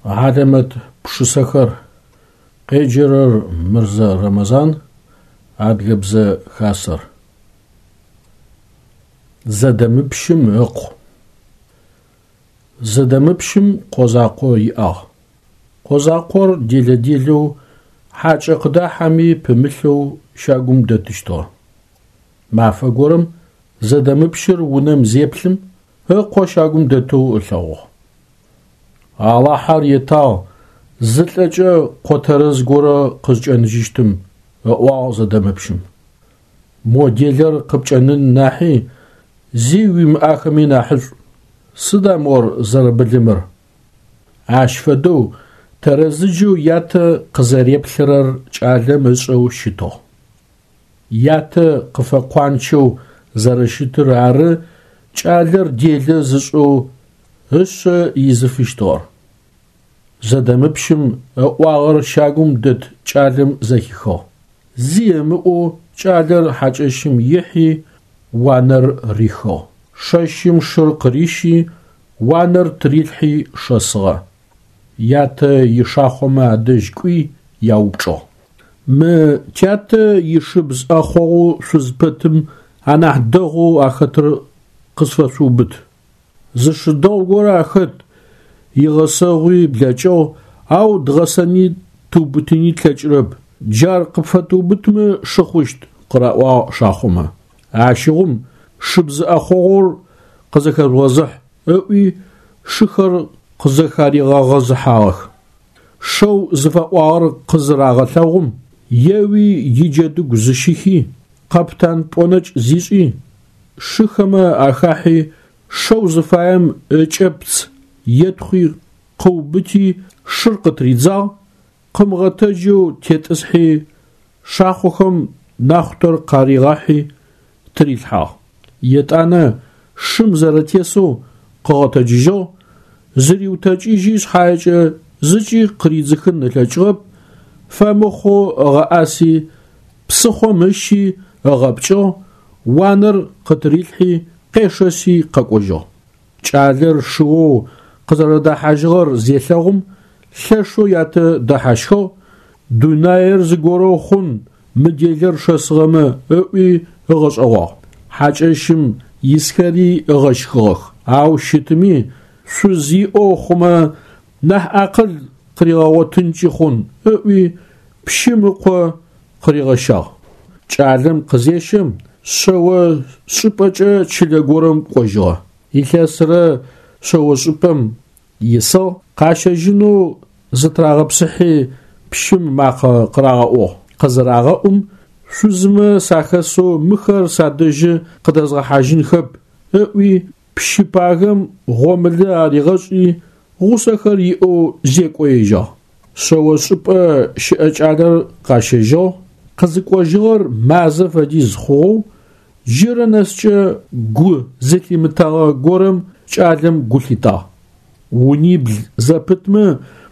Хьалэмэт пшысэхэр. Къеджэрэр Мырзэ Рэмэзан, Адыгэбзэ Хасэр. Зэдэмыпщым ыкъу. Зэдэмыпщым къо закъо иӏагъ. Къо закъор делэ-делэу, хьакӏэ къыдахьэми пымылъэу щагум дэтыщтыгъэ. Мафэ горэм Зэдэмыпщыр унэм зеплъым, ыкъо щагум дэтэу ылъэгъугъ. Алахьэр етагъ, зылӏэкӏэ къо тэрэз горэ къызкӏэныжьыщтым, ыӏуагъ Зэдэмыпщым. Мо делэр къыпкӏэнын нахьи, зи уимыӏахэми нахьышӏу. Сыда мор зэрэбылымыр? Ащ фэдэу тэрэзыджэу ятэ къызэреплъырэр кӏалэм ышӏэу щытыгъ. Ятэ къыфэкъуанчэу зэрэщытыр ары кӏалэр делэ зышӏэу ышъэ изыфыщтыгъэр. Зэдэмыпщым ыӏуагъэр щагум дэт кӏалэм зэхихыгъ. Зи ымыӏоу кӏалэр хьакӏэщым ихьи, уанэр рихыгъ. Шэщым шыр къырищи, уанэр тырилъхьи шэсыгъэ. Ятэ ишахъомэ адэжь кӏуи яупчӏыгъ. Мы тятэ ишыбз ӏэхъогъоу шъузпэтым анахь дэгъоу ахэтыр къысфэшъуубыт. Зы шы дэгъу горэ ахэт, игъэсэгъуи блэкӏыгъ, ау дгъэсэни тыубытыни тлъэкӏырэп. Джар къыпфэтыубытмэ шы хъущт, къыраӏуагъ шахъомэ. Ащыгъум шыбз ӏэхъогъур къызэхэжъугъэзыхь, ыӏуи шыхэр къызэхаригъэгъэзыхьагъэх. Шэу зыфэӏуагъэр къызырагъэлъэгъум, еуи иджэдыгу зыщихи, къэптан пӏонэкӏ зишӏи, шыхэмэ ахахьи, шэу зыфаем ыкӏэпц етхъуи къыубыти шыр къытыридзагъ, къымыгъэтэджэу тетӏысхьи, шахъохэм нахъутэр къаригъахьи тырилъхьагъ. Етӏанэ шым зэрэтесэу къыгъэтэджыжьыгъ, зыриутэкӏыжьи шъхьаекӏэ зыкӏи къыридзыхын ылъэкӏыгъэп, фэмыхъоу ыгъэӏаси, псыхъом ыщи ыгъэпкӏыгъ, уанэр къытырилъхьи къешэси къэкӏожьыгъ. Кӏалэр шыоу къызэрэдэхьажьыгъэр зелъэгъум, лъэшэу ятэ дэхьащхыгъ, дунаир зыгорэу хъун мы делэр шэсыгъэмэ ыӏуи ыгъэшӏэгъуагъ. Хьакӏэщым исхэри ыгъэщхыгъэх, ау щытми, шъуз иӏэу хъумэ, нахь акъыл къыригъэгъотынкӏи хъун ыӏуи, пщым ыкъо къыригъэщагъ. Кӏалэм къызещэм, шъэо шӏыпӏэкӏэ чылэ горэм кӏожьыгъэ. Илъэсрэ шъэошӏыпӏэм исыгъ, къащэжьынэу зытырагъэпсыхьи пщым макъэ къырагъэӏугъ. Къызырагъэӏум, шъузмэ сахэсэу мыхэр садэжьы къыдэзгъэхьажьынхэп ыӏуи, пщы пагэм гъомылэ аригъэшӏи, гъусэхэр иӏэу зекӏо ежьагъ. Шъэошӏыпӏэ щыӏэ кӏалэр къащэжьыгъ, къызыкӏожьыгъэр мазэ фэдиз хъугъэу, джырэ нэскӏэ гу зылъимытэгъэ горэм кӏалэм гу лъитагъ. Унибл зэпытмэ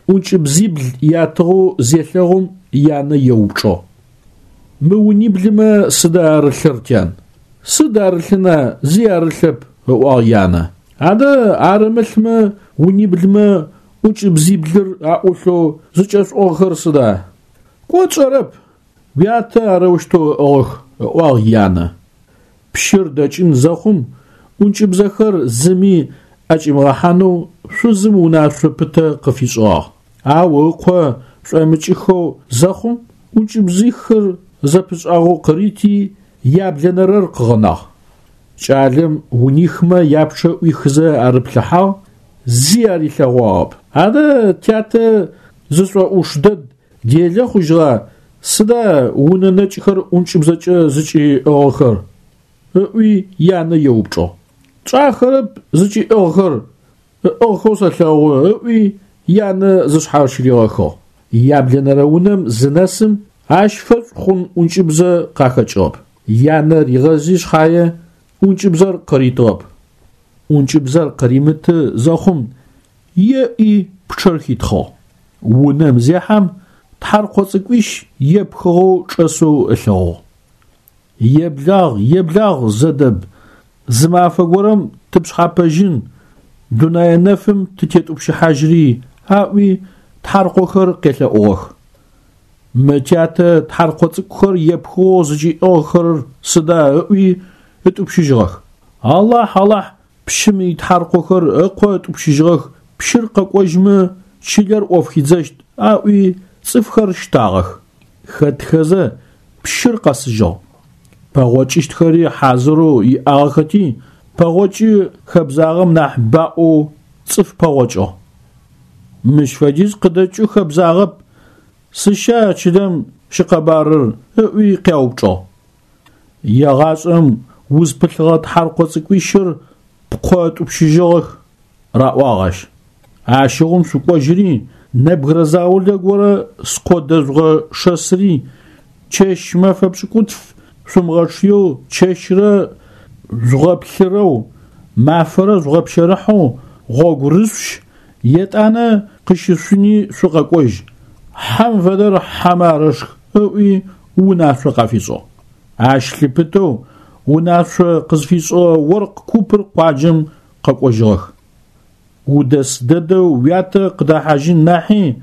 ӏункӏыбзибл ятыгъэу зелъэгъум янэ еупчӏыгъ. Мы униблымэ сыда арылъыр, тян? Сыд арылъына, зи арылъэп, ыӏуагъ янэ. Адэ арымылъмэ униблымэ ӏункӏыбзиблыр аӏулъэу зыкӏэшъуӏыгъхэр сыда? Кӏо тшӏэрэп, уятэ арэущтэу ыӏыгъых, ыӏуагъ янэ. Пщыр дэкӏын зэхъум, ӏункӏыбзэхэр зыми ӏэкӏимыгъэхьанэу шъузым унашъо пытэ къыфишӏыгъагъ. Ау ыкъо шӏомыкӏыхэу зэхъум, ӏункӏыбзихыр зэпышӏагъэу къырити, яблэнэрэр къыгъэнагъ. Кӏалэм унихмэ япчъэ ӏуихызэ арыплъыхьагъ, зи арилъэгъуагъэп. Адэ тятэ зышӏоӏуш дэд делэ хъужьыгъа, сыда унэ нэкӏхэр ӏункӏыбзэкӏэ зыкӏиӏыгъхэр? ыӏуи янэ еупчӏыгъ. Тшӏахэрэп зыкӏиӏыгъхэр, ыӏыгъхэу сэлъэгъу, ыӏуи янэ зышъхьащыригъэхыгъ. Яблэнэрэ унэм зынэсым, ащ фэшӏу хъун ӏункӏыбзэ къахэкӏыгъэп. Янэ ригъэзи шъхьае ӏункӏыбзэр къыритыгъэп. ӏункӏыбзэр къыримыты зэхъум, еӏи пчъэр хитхъыгъ. Унэм зехьэм, тхьаркъо цӏыкӏуищ епхыгъэу чӏэсэу ылъэгъугъ. Еблагъ, еблагъ, Зэдэб, зы мафэ горэм тыпшъхьапэжьын, дунэе нэфым тытетӏупщыхьажьри Аӏуи тхьаркъохэр къелъэӏугъэх. Мы тятэ тхьаркъо цӏыкӏухэр епхыгъэу зыкӏиӏыгъхэрэр сыда ыӏуи ытӏупщыжьыгъэх. Алахь, Алахь, пщым итхьаркъохэр ыкъо ытӏупщыжьыгъэх, пщыр къэкӏожьмэ чылэр ӏоф хидзэщт, аӏуи цӏыфхэр щтагъэх. Хэтхэзэ пщыр къэсыжьыгъ. Пэгъокӏыщтхэри хьазырэу иӏагъэхэти, пэгъокӏы хэбзагъэм нахь баӏоу цӏыф пэгъокӏыгъ. Мыщ фэдиз къыдэкӏы хэбзагъэп, сыща чылэм щыкъэбарыр, ыӏуи къяупчӏыгъ. Егъашӏэм узпылъыгъэ тхьаркъо цӏыкӏуищыр пкъо ытӏупщыжьыгъэх, раӏуагъ ащ. Ащыгъум шъукӏожьыри, нэбгырэ заулэ горэ скъо дэжъугъэшэсыри, чэщ-мэфэ пшӏыкӏутф шъумыгъэчъыеу чэщрэ жъугъэплъырэу, мафэрэ жъугъэпщэрыхьэу гъогу рышъущ, етӏанэ къыщышъуни шъукъэкӏожь, хьэм фэдэр хьэмэ арэшх, ыӏуи унашъо къафишӏыгъ. Ащ лъыпытэу унашъо къызфишӏыгъэ оркъ купыр къуаджэм къэкӏожьыгъэх. Удэс дэдэу уятэ къыдэхьажьын нахьи,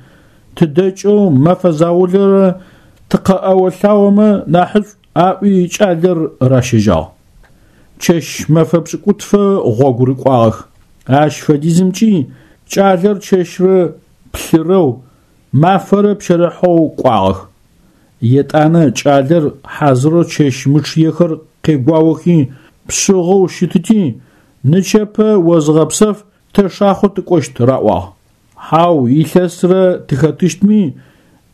тыдэкӏэу мэфэ заулэрэ тыкъэӏэо-лъаомэ нахьышӏу, аӏуи кӏалэр ращэжьагъ. Чэщ-мэфэ пшӏыкӏутфэ гъогу рыкӏуагъэх. Ащ фэдизымкӏи кӏалэр чэщрэ плъырэу, мафэрэ пщэрыхьэу кӏуагъэх. Етӏанэ кӏалэр хьазырэу чэщ мычъыехэр къегуаохи, пшъыгъэу щытыти, нычэпэ о зыгъэпсэф, тэ шахъо тыкӏощт раӏуагъ. Хьау, илъэсрэ тыхэтыщтми,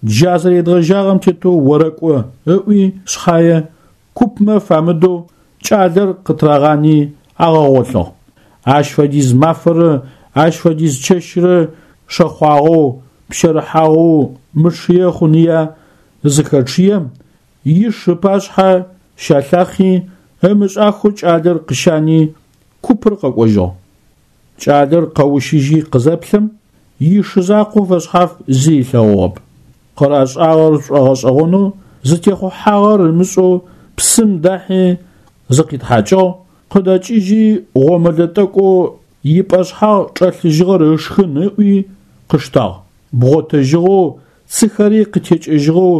джа зэредгъэжьагъэм тетэу орэкӏо, ыӏуи шъхьае, купмэ фамыдэу кӏалэр къытырагъани агъэгъолъыгъ. Ащ фэдиз мафэрэ ащ фэдиз чэщрэ шэхъуагъэу, пщэрыхьагъэу мычъые хъуныя зыхэчъыем, иш ыпашъхьэ щалъахъи, ымышӏахэу кӏалэр къыщани, купыр къэкӏожьыгъ. Кӏалэр къэущыжьи къызэплъэм, ишы закъо фэшъхьаф зи ылъэгъугъэп. Къырашӏагъэр шӏогъэшӏэгъонэу, зытехъухьагъэр ымышӏэу псым дахьи зыкъитхьакӏыгъ, къыдэкӏыжьи гъомэлэ тӏэкӏоу ипӏэшъхьагъ чӏэлъыжьыгъэр ышхын ыӏуи къыштагъ. Бгъотэжьыгъэу, цыхэри къытекӏыжьыгъэу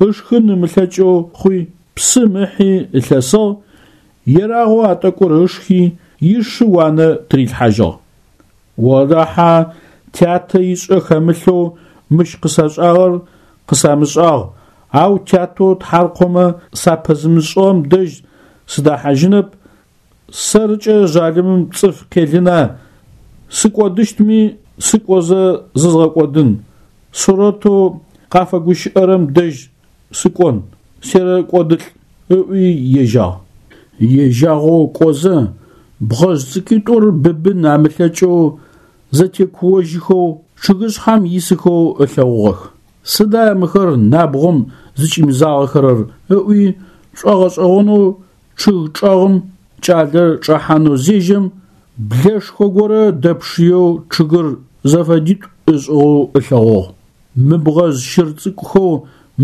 ышхын ымылъэкӏэу хъуи, псым ыхьи ылъэсыгъ, ерагъэу а тӏэкӏур ышхи, ишы уанэ тырилъхьажьыгъ. Олахьэ, тятэ ишӏэ хэмылъэу мыщ къысашӏагъэр къысамышӏагъ, ау тятэу тхьаркъомэ сапэзымышӏыгъэм дэжь сыдэхьажьынэп, сэркӏэ жъалымым цӏыф къелына, сыкӏодыщтми сыкӏозэ зызгъэкӏодын, сурэтэу къафэгущыӏэрэм дэжь сыкӏон, серэкӏодылӏ, ыӏуи ежьагъ. Ежьагъэу кӏозэ, бгъэжъ цӏыкӏуитӏур быбын амылъэкӏэу зэтекуожьыхэу чъыгышъхьэм исыхэу ылъэгъугъэх. Сыда мыхэр набгъом зыкӏимызагъэхэрэр ыӏуи шӏогъэшӏэгъонэу чъыг чӏэгъым кӏалэр чӏэхьанэу зежьэм, блэшхо горэ дэпшыеу чъыгыр зэфэдитӏу ышӏыгъэу ылъэгъугъ. Мы бгъэжъ щыр цӏыкӏухэу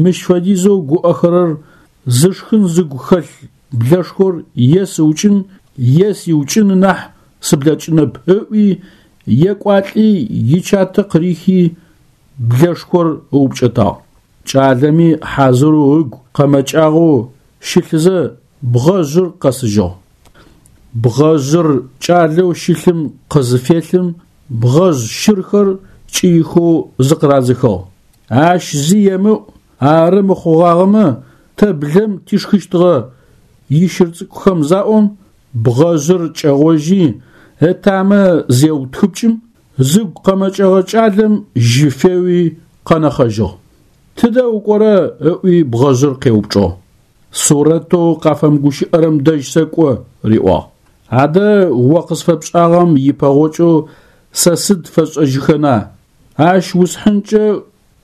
мыщ фэдизэу гуӏэхэрэр зышхын зыгу хэлъ блэшхор е сыукӏын, е сиукӏын нахь сыблэкӏынэп, ыӏуи, екӏуалӏи ичатэ къырихи блэшхор ыупкӏэтагъ. Кӏалэми хьазырэу ыгу къэмэкӏагъэу щылъызэ бгъэжъыр къэсыжьыгъ. Бгъэжъыр кӏалэу щылъым къызыфелъым бгъэжъ щырхэр кӏыихэу зыкъырадзыхыгъ. Ащ зи емыӏу, ары мыхъугъагъэмэ, тэ блэм тишхыщтыгъэ, ищыр цӏыкӏухэм заӏом, бгъэжъыр кӏэгъожьи, ытамэ зеутхыпкӏым, зыгу къэмэкӏэгъэ кӏалэм жьы феуи къэнэхъэжьыгъ. Тыдэ укӏорэ? ыӏуи бгъэжъыр къеупчӏыгъ. Сурэтэу къафэмыгущыӏэрэм дэжь сэкӏо, риӏуагъ. Адэ о къысфэпшӏагъэм ипэгъокӏэу сэ сыд фэсшӏэжьыхэна? Ащ усхьынкӏэ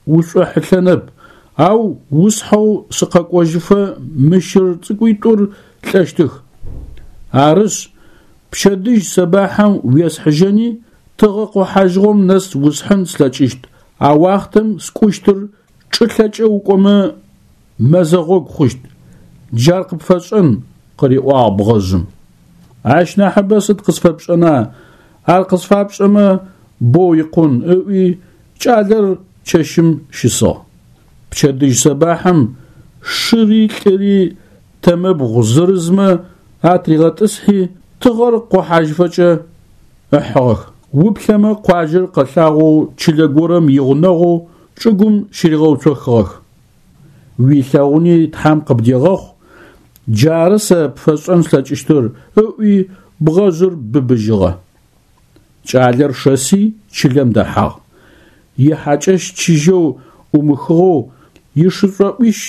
ушӏохьылъэнэп, ау усхьэу сыкъэкӏожьыфэ мы щыр цӏыкӏуитӏур лӏэщтых. Арышъ, пчэдыжь сэбахьым уесхьыжьэни, тыгъэ къохьажьыгъом нэс усхьын слъэкӏыщт, а уахътэм скӏущтыр чӏылъэкӏэ укӏомэ мэзэ гъогу хъущт, джар къыпфэсшӏэн, къыриӏуагъ бгъэжъым. Ащ нахьыбэ сыд къысфэпшӏэна, ар къысфапшӏэмэ, боу икъун, ыӏуи. Кӏалэр чэщым щысыгъ. Пчэдыжь сэбахьым шыри лӏыри тэмэбгъу зырызмэ атригъэтӏысхьи, тыгъэр къохьажьыфэкӏэ ыхьыгъэх. Уплъэмэ къуаджэр къэлъагъоу чылэ горэм игъунэгъоу чӏыгум щыригъэуцохыгъэх. Уилъэгъуни Тхьэм къыбдегъэхъу, джары сэ пфэсшӏэн слъэкӏыщтыр, ыӏуи бгъэжъыр быбыжьыгъэ. Кӏалэр шэси чылэм дэхьагъ. Ихьакӏэщ чыжьэу ӏумыхыгъэу, ишышӏоӏуищ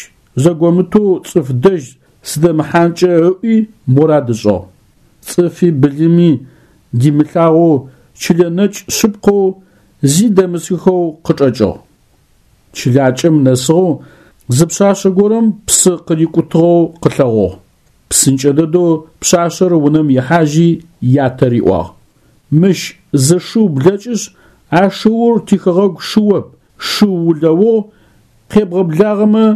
зэгомытэу цӏыф дэжь сыдэмыхьанкӏэ ыӏуи мурад ышӏыгъ. Цӏыфи былыми димылъагъоу чылэ нэкӏ шъыпкъэу зи дэмысыхэу къычӏэкӏыгъ. Чылакӏэм нэсыгъэу зы пшъашъэ горэм псы къырикӏутыгъэу къылъэгъугъ. Псынкӏэ дэдэу пшъашъэр унэм ихьажьи ятэ риӏуагъ: Мыщ зы шыу блэкӏышъ, а шыур тихэгъэгу шыоп, шыу улэугъ, къебгъэблагъэмэ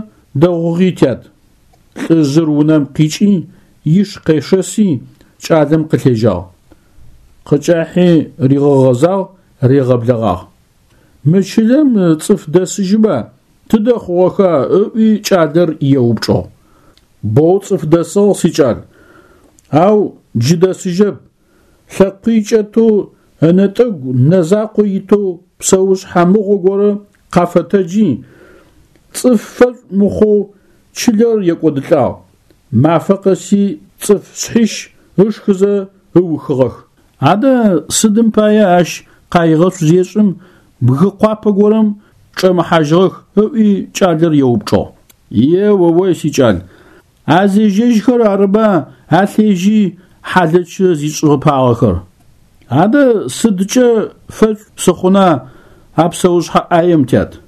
дэгъугъи, тят. Лӏыжъыр унэм къикӏи, иш къешэси, кӏалэм къылъежьагъ. Къыкӏахьи ригъэгъэзагъ, ригъэблэгъагъ. Мы чылэм цӏыф дэсыжьыба, тыдэ хъугъэха? ыӏуи кӏалэр еупчӏыгъ. Боу цӏыф дэсыгъ, сикӏал, ау джы дэсыжьэп, лъэкъуий кӏэтэу ынэтӏэгу нэ закъо итэу псэушъхьэ мыгъо горэ къафэтэджи, цӏыф фэшӏу мыхъоу чылэр екӏодылӏагъ, мафэ къэси цӏыф шъхьищ ышхызэ ыухыгъэх. Адэ сыдым пае ащ къаигъэшӏу зешӏым бгы къуапэ горэм чӏэмыхьажьыгъэх, ыӏуи кӏалэр еупчӏыгъ. Е-о-ой, сикӏал, а зежьэжьхэр арыба алъежьи хьалэчы зишӏыгъэпагъэхэр. Адэ сыдкӏэ фэшӏу сыхъуна а псэушъхьэ ӏаем, тят?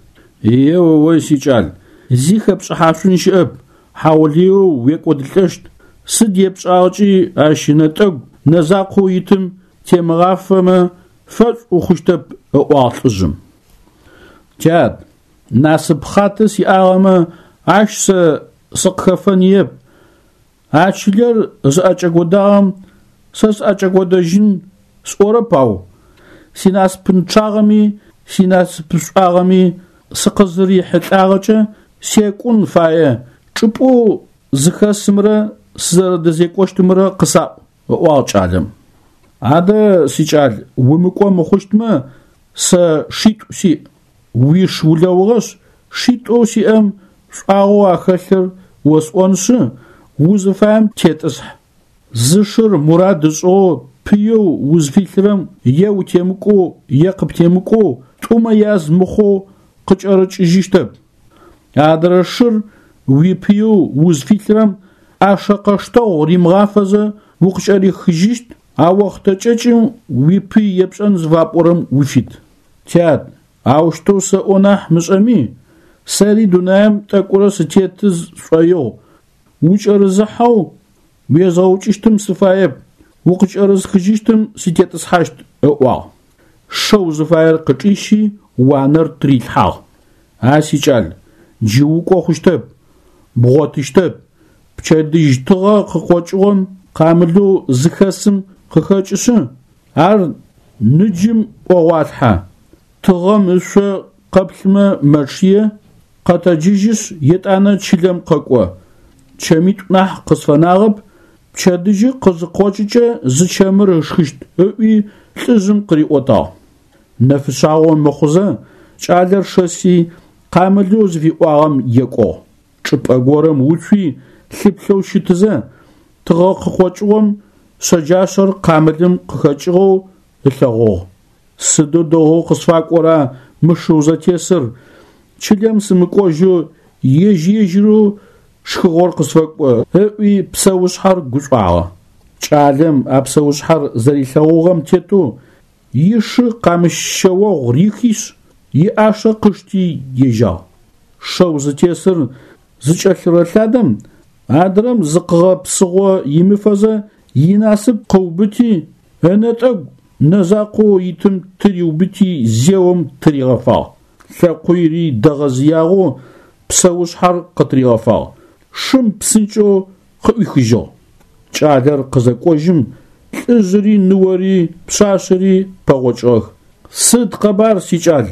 Е-о-ой, сикӏал, зи хэпшӏыхьашъун щыӏэп, хьаулыеу уекӏодылӏэщт, сыд епшӏагъэкӏи ащ ынэтӏэгу нэ закъоу итым темыгъафэмэ, фэшӏу ухъущтэп, ыӏуагъ лӏыжъым. Тят, насып хъатэ сиӏагъэмэ, ащ сэ сыкъыхэфэныеп. А чылэр зыӏэкӏэкӏодагъэм сэ сыӏэкӏэкӏодэжьын сӏорэп, ау синасыпынчъагъэми синасыпышӏуагъэми сыкъызырихьылӏагъэкӏэ секӏун фае, чӏыпӏэу зыхэсымрэ сызэрэдэзекӏощтымрэ къысаӏу, ыӏуагъ кӏалэм. Адэ, сикӏал, умыкӏо мыхъущтмэ, сэ шитӏу сиӏ. Уиш улэугъэшъ, шитӏоу сиӏэм шӏуагъэу ахэлъыр осӏоншъы, узыфаем тетӏысхь. Зы шыр мурад ышӏыгъэу пыеу узфилъырэм е утемыкӏоу е къыптемыкӏоу тӏумэ яз мыхъоу къыкӏэрыкӏыжьыщтэп. Адрэ шыр уипыеу узфилъырэм ӏашэ къэштэгъу римыгъафэзэ укъыкӏэрихыжьыщт, а охътэ кӏэкӏым уипый епшӏэн зыфапӏорэм уфит. Тят, аущтэу сэӏо нахь мышӏэми, сэри дунаим тӏэкӏурэ сытеты сшӏоигъу, укӏэрызыхьэу уезгъэукӏыщтым сыфаеп, укъыкӏэрысхыжьыщтым сытетӏысхьащт, ыӏуагъ. Шэу зыфаер къычӏищи, уанэр тырилъхьагъ. А сикӏал, джы укӏо хъущтэп, бгъотыщтэп, пчэдыжь тыгъэ къыкъокӏыгъом къамылэу зыхэсым къыхэкӏышъы, ар ныджым ӏогъуалъхьэ. Тыгъэм ышъо къэплъымэ мэчъые, къэтэджыжьышъ, етӏанэ чылэм къэкӏо. Чэмитӏу нахь къысфэнагъэп, пчэдыжьы къызыкъокӏыкӏэ зы чэмыр ышхыщт, ыӏуи лӏыжъым къыриӏотагъ. Нэфышъагъо мыхъузэ, кӏалэр шэси, къамылэу зыфиӏуагъэм екӏугъ. Чӏыпӏэ горэм уцуи, лъыплъэу щытызэ, тыгъэ къыкъокӏыгъом шъэджашъэр къамылым къыхэкӏыгъэу ылъэгъугъ. Сыдэу дэгъоу къысфакӏора мы шыу зэтесыр, чылэм сымыкӏожьэу ежь-ежьырэу шхыгъор къысфэкӏо, ыӏуи псэушъхьэр гушӏуагъэ. Кӏалэм а псэушъхьэр зэрилъэгъугъэм тетэу ишы къамыщ шъэогъу рихишъ, иӏашэ къышти ежьагъ. Шэу зытесыр зыкӏэлъырэлъадэм, адрэм зыкъыгъэпсыгъо имыфэзэ инасып къыубыти, ынэтӏэгу нэ закъоу итым тыриубыти зеом тыригъэфагъ. Лъэкъуири дэгъэзыягъэу псэушъхьэр къытыригъэфагъ. Шым псынкӏэу къыӏуихыжьыгъ. Кӏалэр къызэкӏожьым, лӏыжъыри ныори пшъашъэри пэгъокӏыгъэх. Сыд къэбар, сикӏал?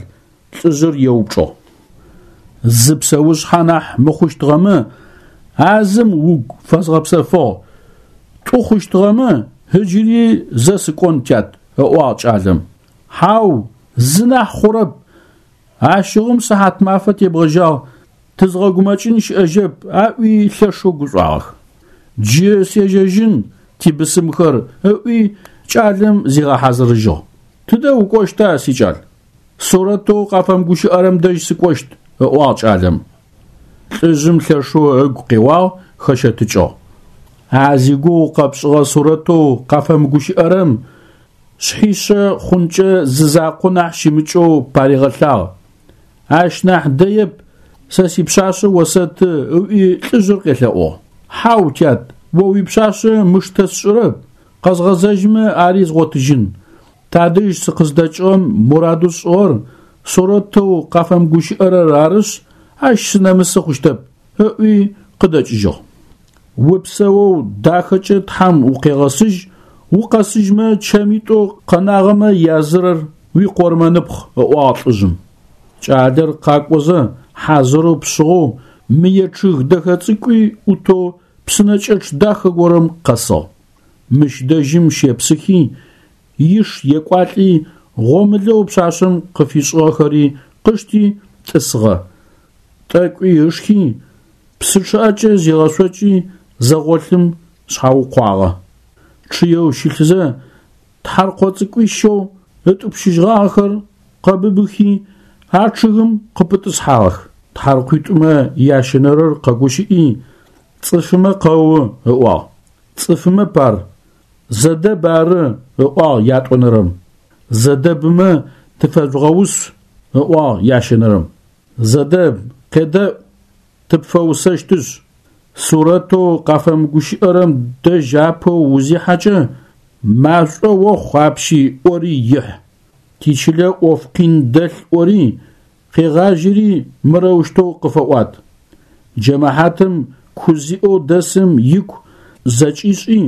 Лӏыжъыр еупчӏыгъ. Зы псэушъхьэ нахь мыхъущтыгъэмэ, а зым угу фэзгъэпсэфыгъ, тӏу хъущтыгъэмэ, ыджыри зэ сыкӏон, тят, ыӏуагъ кӏалэм. Хьау, зы нахь хъурэп. Ащыгъум сыхьатмафэ тебгъэжьагъ, тызгъэгумэкӏын щыӏэжьэп, аӏуи лъэшэу гушӏуагъэх. Джы сежьэжьын, тибысымхэр, ыӏуи кӏалэм зигъэхьазырыжьыгъ. Тыдэ укӏощта, сикӏал? Сурэтэу къафэмыгущыӏэрэм дэжь сыкӏощт, ыӏуагъ кӏалэм. Лӏыжъым лъэшэу ыгу къеуагъ, хэщэтыкӏыгъ. А зигугъу къэпшӏыгъэ сурэтэу къафэмыгущыӏэрэм шъхьишъэ хъункӏэ зы закъо нахь щымыкӏэу паригъэлъагъ. Ащ нахь дэеп, сэ сипшъашъэ осэты, ыӏуи лӏыжъыр къелъэӏугъ. Хьау, тят, о уипшъашъэ мыштэ сшӏырэп, къэзгъэзэжьмэ ари згъотыжьын. Тадэжь сыкъыздэкӏыгъэм мурадэу сшӏыгъэр сурэтэу къафэмыгущыӏэрэр арышъ, ащ сынэмысы хъущтэп, ыӏуи къыдэкӏыжьыгъ. Упсэоу дахэкӏэ Тхьэм укъегъэсыжь, укъэсыжьмэ чэмитӏоу къэнагъэмэ язырэр уикъормэныпхъ, ыӏуагъ лӏыжъым. Кӏалэр къакӏозэ хьазырэу пшъыгъэу мые чъыг дэхэ цӏыкӏуи ӏутэу псынэкӏэчъ дахэ горэм къэсыгъ. Мыщ дэжьым щепсыхи, иш екӏуалӏи, гъомылэу пшъашъэм къыфишӏыгъэхэри къышти тӏысыгъэ. Тӏэкӏуи ышхи, псы чъыӏэкӏэ зигъэшъокӏи зэгъолъым шъхьаукъуагъэ. Чъыеу щылъызэ, тхьаркъо цӏыкӏуищэу ытӏупщыжьыгъагъэхэр къэбыбыхи, а чъыгым къыпытӏысхьагъэх. Тхьаркъуитӏумэ ящэнэрэр къэгущыӏи, цӏыфымэ къэу ыӏуагъ. Цӏыфымэп ар, Зэдэб ары, ыӏуагъ ятӏонэрэм. Зэдэбымэ тыфэжъугъэус, ыӏуагъ ящэнэрэм. Зэдэб, къедэӏу, тыпфэусэщтышъ. Сурэтэу къафэмыгущыӏэрэм дэжь апэу узихьэкӏэ, машӏо охъу апщи ӏори ихь. Тичылэ ӏоф къин дэлъ ӏори, къегъажьэри мырэущтэу къыфэӏуат. Джэмэхьатым ку зиӏэу дэсым ику зэкӏишӏи,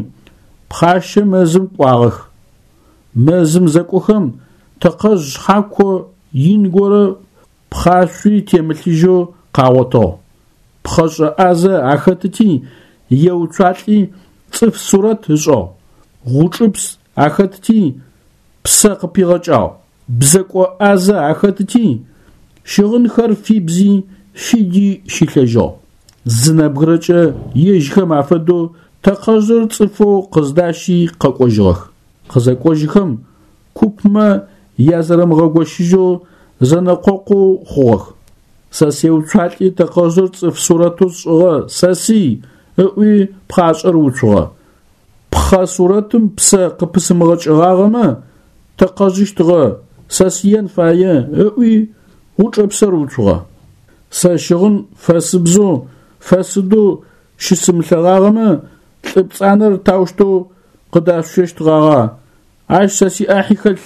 пхъащэ мэзым кӏуагъэх. Мэзым зэкӏохэм тэкъэжъ шъхьако ин горэ пхъашъуи темылъыжьэу къагъотыгъ. Пхъэшӏэ ӏазэ ахэтыти, еуцуалӏи цӏыф сурэт ышӏыгъ. Гъучӏыпс ахэтыти, псэ къыпигъэкӏагъ. Бзэкӏо ӏазэ ахэтыти, щыгъынхэр фибзи, фиди щилъэжьыгъ. Зы нэбгырэкӏэ ежьхэм афэдэу тэкъэжъыр цӏыфэу къыздащи къэкӏожьыгъэх. Къызэкӏожьыхэм, купмэ язэрэмыгъэгощыжьэу зэнэкъокъоу хъугъэх. Сэ сеуцуалӏи тэкъэжъыр цӏыф сурэтэу сшӏыгъэ, сэсый, ыӏуи пхъашӏэр уцугъэ. Пхъэ сурэтым псэ къыпысымыгъэкӏыгъагъэмэ, тэкъэжъыщтыгъэ, сэсыен фае, ыӏуи гъучӏыпсэр уцугъэ. Сэ щыгъын фэсыбзэу, фэсыдэу щысымылъэгъагъэмэ, лӏы пцӏанэр таущтэу къыдашъущэщтгъагъа, ащ сэ сиӏахьи хэлъ,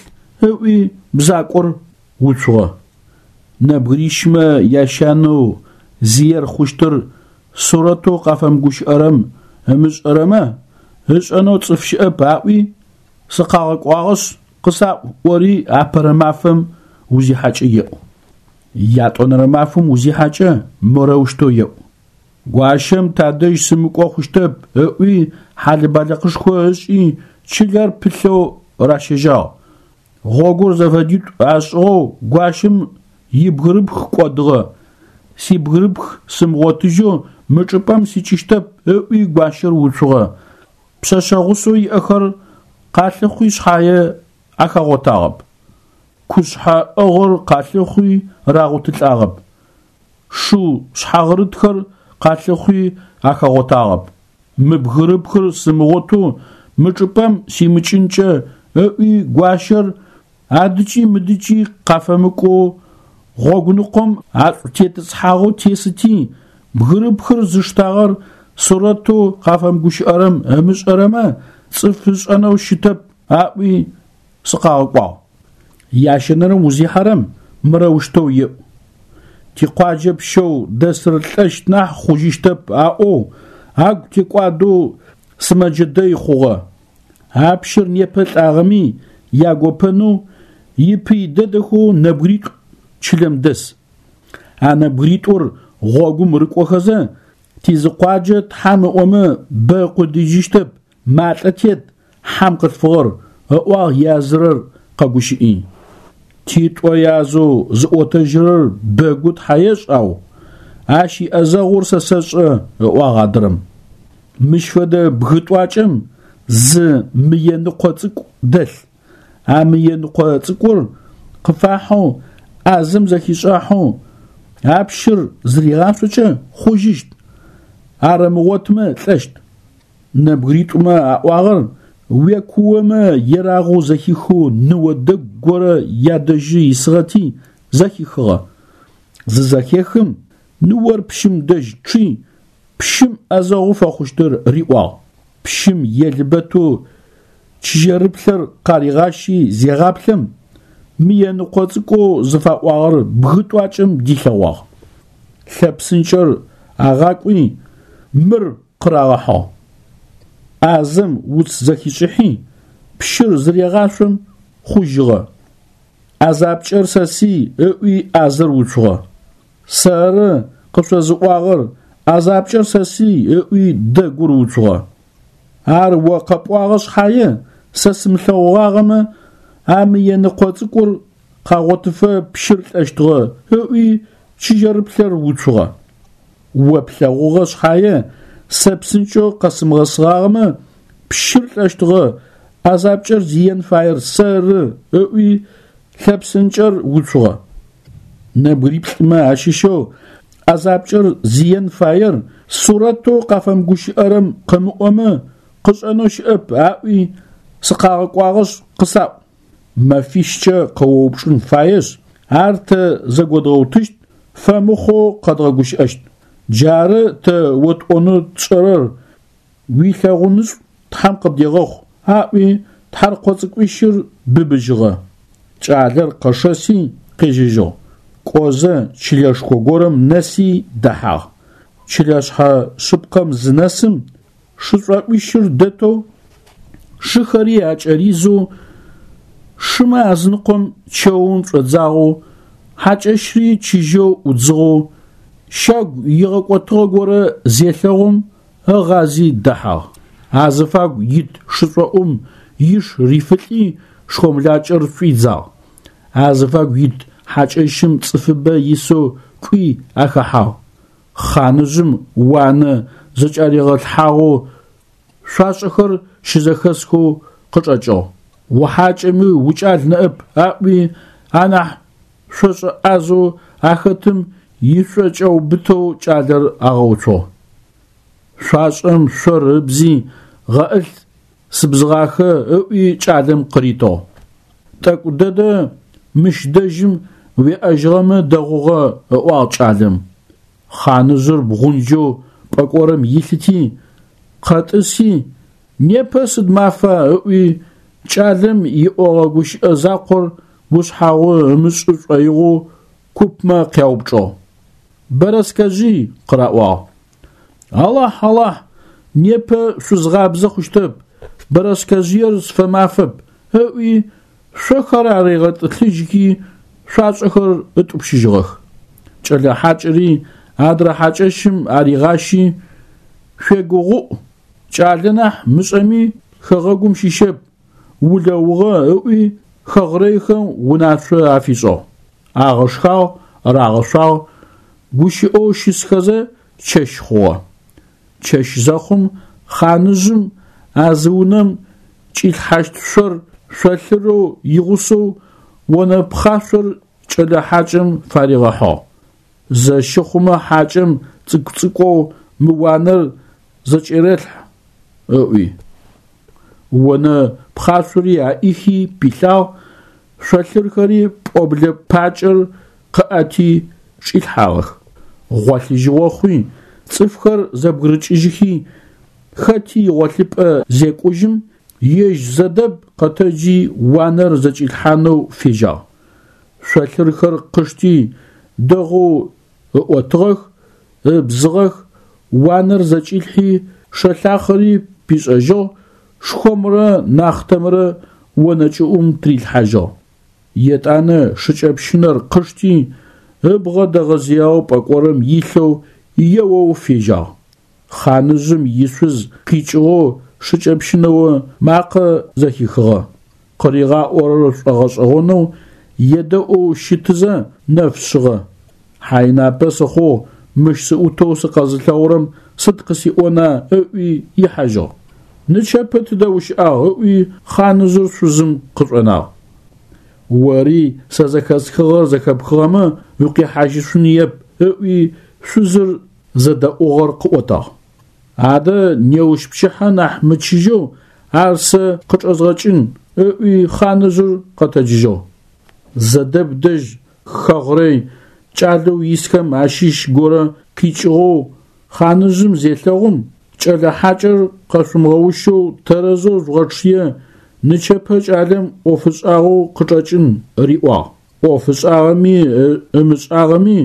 ыӏуи бзакӏор уцугъэ. Нэбгырищмэ ящанэу зиер хъущтыр сурэтэу къафэмыгущыӏэрэм ымышӏэрэмэ, ышӏэнэу цӏыф щыӏэп аӏуи, сыкъагъэкӏуагъэшъ, къысаӏу ӏори апэрэ мафэм узихьакӏэ еӏу. Ятӏонэрэ мафэм узихьакӏэ морэущтэу еӏу. Гуащэм тадэжь сымыкӏо хъущтэп ыӏуи хьалэ-балыкъышхо ышӏи чылэр пылъэу ращэжьагъ. Гъогур зэфэдитӏу ашӏыгъэу гуащэм ибгырыпх кӏодыгъэ. Сибгырыпх сымыгъотыжьэу мы чӏыпӏэм сикӏыщтэп ыӏуи гуащэр уцугъэ. Пшъэшъэ гъусэу иӏэхэр къалъыхъуи шъхьае ахагъотагъэп. Кушъхьэ ӏыгъыр къалъыхъуи рагъотылӏагъэп. Шыу шъхьагъырытхэр къалъыхъуи ахагъотагъэп. Мы бгырыпхыр сымыгъотэу мы чӏыпӏэм симыкӏынкӏэ ыӏуи гуащэр адыкӏи мыдыкӏи къафэмыкӏоу гъогуныкъом ашӏутетӏысхьагъэу тесыти, бгырыпхыр зыштагъэр сурэтэу къафэмыгущыӏэрэм ымышӏэрэмэ, цӏыф ышӏэнэу щытэп аӏуи сыкъагъэкӏуагъ. Ящэнэрэм узихьэрэм мырэущтэу еӏу. Тикъуаджэ пщэу дэсыр лӏэщт нахь хъужьыщтэп аӏоу, агу текӏуадэу сымэджэ дэй хъугъэ. А пщыр непэ лӏагъэми ягопэнэу ипый дэдэхэу нэбгыритӏу. чылэм дэс. А нэбгыритӏур гъогум рыкӏохэзэ, тизыкъуаджэ Тхьам ыӏомэ бэ ыкъудыижьыщтэп, малӏэ тет, хьам къылъфыгъэр, ыӏуагъ язырэр къэгущыӏи. Титӏо язэу зыӏотэжьырэр бэгу Тхьа ешӏ ау, ащ иӏэзэгъур сэ сэшӏэ, ыӏуагъ адрэм. Мыщ фэдэ бгы тӏуакӏэм зы мыеныкъо цӏыкӏу дэлъ. А мыеныкъо цӏыкӏур къыфахьэу, ӏазэм зэхишӏахьэу, а пщыр зыригъашъокӏэ хъужьыщт, ар ымыгъотмэ лӏэщт. Нэбгыритӏумэ аӏуагъэр уекуомэ ерагъэу зэхихэу ныо дэгу горэ ядэжьы исыгъэти зэхихыгъэ. Зызэхехым, ныор пщым дэжь чъи, пщым ӏэзэгъу фэхъущтыр риӏуагъ. Пщым елбэтэу чыжьэрыплъэр къаригъащи зегъаплъэм, мыеныкъо цӏыкӏоу зыфаӏуагъэр бгы тӏуакӏэм дилъэгъуагъ. Лъэпсынкӏэр агъакӏуи, мыр къырагъэхьыгъ. ӏазэм уц зэхишӏыхьи, пщыр зырегъашъом, хъужьыгъэ. ӏэзапкӏэр сэсый, ыӏуи ӏазэр уцугъэ. Сэры къышъозыӏуагъэр, ӏэзапкӏэр сэсый, ыӏуи дэгур уцугъэ. Ар о къэпӏуагъэ шъхьае, сэ сымылъэгъугъагъэмэ, а мыеныкъо цӏыкӏур къагъотыфэ пщыр лӏэщтыгъэ, ыӏуи чыжьэрыплъэр уцугъэ. О плъэгъугъэ шъхьае, сэ псынкӏэу къэсымыгъэсыгъагъэмэ, пщыр лӏэщтыгъэ, ӏэзапкӏэр зиен фаер сэры, ыӏуи лъэпсынкӏэр уцугъэ. Нэбгыриплӏымэ ащыщэу ӏэзапкӏэр зиен фаер сурэтэу къафэмыгущыӏэрэм къымыӏомэ, къышӏэнэу щыӏэп аӏуи сыкъагъэкӏуагъэшъ къысаӏу. Мэфищкӏэ къыоупчӏын фаешъ, ар тэ зэгодгъэутыщт, фэмыхъоу къэдгъэгущыӏэщт. Джары тэ отӏонэу тшӏэрэр, уилъэгъунышӏу Тхьэм къыбдегъэхъу, аӏуи тхьэркъо цӏыкӏуищыр быбыжьыгъэ. Кӏалэр къэшэси къежьэжьыгъ. Кӏозэ чылэшхо горэм нэси дэхьагъ. Чылэшъхьэ шъыпкъэм зынэсым, шышӏоӏуищыр дэтэу, шыхэри акӏэризэу, шымэ азыныкъом чэум шӏодзагъэу, хьакӏэщри чыжьэу ӏудзыгъэу, щагу игъэкӏотыгъэ горэ зелъэгъум, ыгъази дэхьагъ. Азыфагу ит шышӏоӏум иш рифылӏи шхомлакӏэр шӏуидзагъ. Азыфагу ит хьакӏэщым цӏыфыбэ исэу кӏуи ахэхьагъ. Хъаныжъым уанэ зэкӏаригъэлъхьагъэу шъуашӏэхэр щызэхэсхэу къычӏэкӏыгъ. Ухьакӏэми укӏал ныӏэп аӏуи анахь шъошӏэ ӏазэу ахэтым ишъокӏэубытэу кӏалэр агъэуцугъ. Шъуашӏэм шъор ыбзи гъэӏылъ сыбзыгъахэ ыӏуи кӏалэм къыритыгъ. Тӏэкӏу дэдэ мыщ дэжьым уеӏэжьыгъэмэ дэгъугъэ, ыӏуагъ кӏалэм. Хъаныжъыр бгъунджэу пӏэкӏорым илъыти, къэтӏыси, непэ сыд мафа ыӏуи, кӏалэм иӏогъэ гущыӏэ закъор ушъхьагъу ымышӏы шӏоигъоу купмэ къяупчӏыгъ. Бэрэскэжъый, къыраӏуагъ. Алахь, Алахь, непэ шъузгъабзэ хъущтэп, бэрэскэжъыер сфэмафэп, ыӏуи, шъохэр аригъэтӏылъыжьхи, шъуашӏэхэр ытӏупщыжьыгъэх. Кӏэлэ хьакӏэри адрэ хьакӏэщым аригъащи, шъуегугъуӏу, кӏалэ нахь мышӏэми хэгъэгум щыщэп, улэугъэ ыӏуи, хэгърэйхэм унашъо афишӏыгъ. Агъэшхагъ, рагъэшъуагъ, гущыӏэу щысхэзэ чэщ хъугъэ. Чэщ зэхъум хъаныжъым а зы унэм кӏилъхьащт шъор шъолъырэу игъусэу онэ пхъашъор кӏэлэ хьакӏэм фаригъэхьыгъ. Зэщы хъумэ хьакӏэм цӏыкӏу-цӏыкӏоу мы уанэр зэкӏерэлъхь, ыӏуи. Онэ пхъашъори аӏихи пилъагъ, шъолъырхэри пӏоблэ пакӏэр къыӏэти чӏилъхьагъэх. Гъолъыжьыгъо хъуи, цӏыфхэр зэбгырыкӏыжьыхи, хэти игъолъыпӏэ зекӏужьым, ежь Зэдэб къэтэджи уанэр зэкӏилъхьанэу фежьагъ. Шъолъырхэр къышти дэгъоу ыӏотыгъэх, ыбзыгъэх, уанэр зэкӏилъхьи, шэлъахъэри пишӏэжьыгъ, шхомрэ нахътэмрэ онэ кӏыӏум тырилъхьажьыгъ. Етӏанэ шыкӏэпщынэр къышти, ыбгъэ дэгъэзыягъэу пӏэкӏорым илъэу еоу фежьагъ. Хъаныжъым ишъуз къикӏыгъэу шыкӏэпщынэо макъэ зэхихыгъэ. Къыригъаӏорэр шӏогъэшӏэгъонэу едэӏоу щытызэ нэф шъыгъэ. Хьайнапэ сыхъугъ, мыщ сыӏутэу сыкъэзылъэгъурэм сыд къысиӏона ыӏуи ихьажьыгъ. Нычэпэ тыдэ ущыӏагъ ыӏуи хъаныжъыр шъузым къышӏонагъ. Ори сэ зэхэсхыгъэр зэхэпхыгъэмэ укъихьажьышъуныеп ыӏуи шъузыр зэдэӏугъэр къыӏотагъ. Адэ неущ пчыхьэ нахь мычыжьэу ар сэ къычӏэзгъэкӏын ыӏуи хъаныжъыр къэтэджыжьыгъ. Зэдэб дэжь хэгърэй кӏалэу исхэм ащыщ горэ къикӏыгъэу хъаныжъым зелъэгъум, кӏэлэ хьакӏэр къэшъумыгъэущэу тэрэзэу жъугъэчъые, нычэпэ кӏалэм ӏоф ышӏагъэу къычӏэкӏын риӏуагъ. ӏоф ышӏагъэми ымышӏагъэми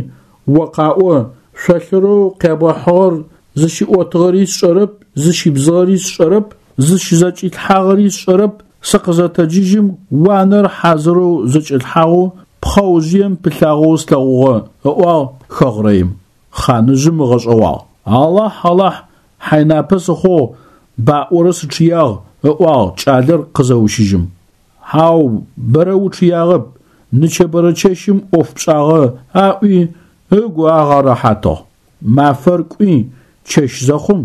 о къаӏо, шъолъырэу къябгъэхьыгъэр зыщиӏотыгъэри сшӏэрэп, зыщибзыгъэри сшӏэрэп, зыщызэкӏилъхьагъэри сшӏэрэп, сыкъызэтэджыжьым уанэр хьазырэу зэкӏэлъхьагъэу пхъэужъыем пылъагъэу слъэгъугъэ, ыӏуагъ хэгърэим. Хъаныжъым ыгъэшӏэгъуагъ. Алахь, Алахь, хьайнапэ сыхъугъ, баӏорэ сычъыягъ, ыӏуагъ кӏалэр къызэущыжьым. Хьау, бэрэ учъыягъэп, нычэбэрэ чэщым ӏоф пшӏагъэ, аӏуи, ыгу агъэрэхьатыгъ. Мафэр кӏуи, чэщ зэхъум,